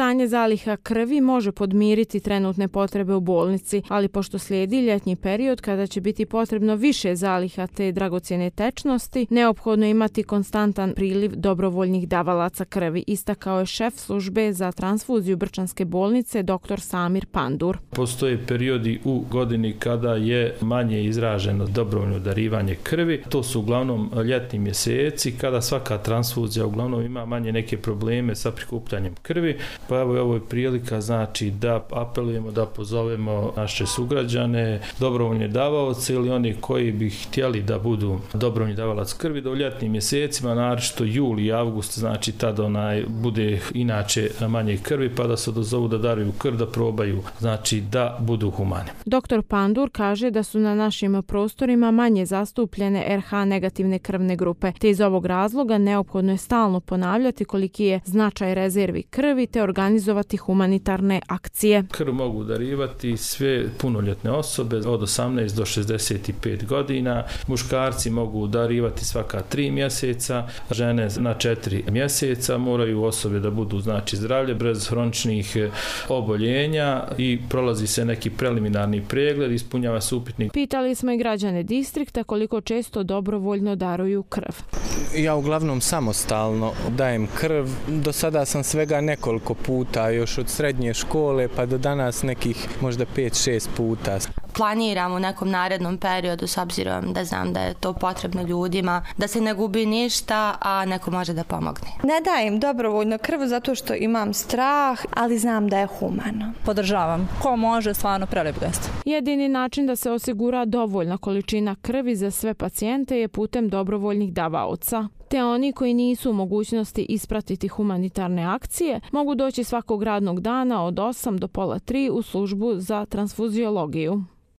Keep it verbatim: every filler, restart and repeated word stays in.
Stanje zaliha krvi može podmiriti trenutne potrebe u bolnici, ali pošto slijedi ljetnji period kada će biti potrebno više zaliha te dragocjene tečnosti, neophodno je imati konstantan priliv dobrovoljnih davalaca krvi, istakao je šef službe za transfuziju Brčanske bolnice dr. Samir Pandur. Postoje periodi u godini kada je manje izraženo dobrovoljno darivanje krvi. To su uglavnom ljetni mjeseci kada svaka transfuzija uglavnom ima manje neke probleme sa prikupljanjem krvi. Pa evo ovo je prilika znači da apelujemo, da pozovemo naše sugrađane, dobrovoljne davaoce ili oni koji bi htjeli da budu dobrovoljni davalac krvi da u ljetnim mjesecima, naročito jul i avgust, znači tada onaj bude inače manje krvi pa da se dozovu da daruju krv, da probaju, znači da budu humani. doktor Pandur kaže da su na našim prostorima manje zastupljene er ha negativne krvne grupe, te iz ovog razloga neophodno je stalno ponavljati koliki je značaj rezervi krvi te organizovati humanitarne akcije. Krv mogu darivati sve punoljetne osobe od osamnaest do šezdeset pet godina, muškarci mogu darivati svaka tri mjeseca, žene na četiri mjeseca, moraju osobe da budu znači zdravlje, bez hroničnih oboljenja i prolazi se neki preliminarni pregled, ispunjava se upitnik. Pitali smo i građane distrikta koliko često dobrovoljno daruju krv. Ja uglavnom samostalno dajem krv. Do sada sam svega nekoliko puta, još od srednje škole pa do danas nekih možda pet šest puta. Planiram u nekom narednom periodu s obzirom da znam da je to potrebno ljudima, da se ne gubi ništa, a neko može da pomogne. Ne dajem dobrovoljno krv zato što imam strah, ali znam da je humano. Podržavam. Ko može, stvarno prelep gest. Jedini način da se osigura dovoljna količina krvi za sve pacijente je putem dobrovoljnih davaoca. Te oni koji nisu u mogućnosti ispratiti humanitarne akcije mogu doći svakog radnog dana od osam do pola tri u službu za transfuziologiju.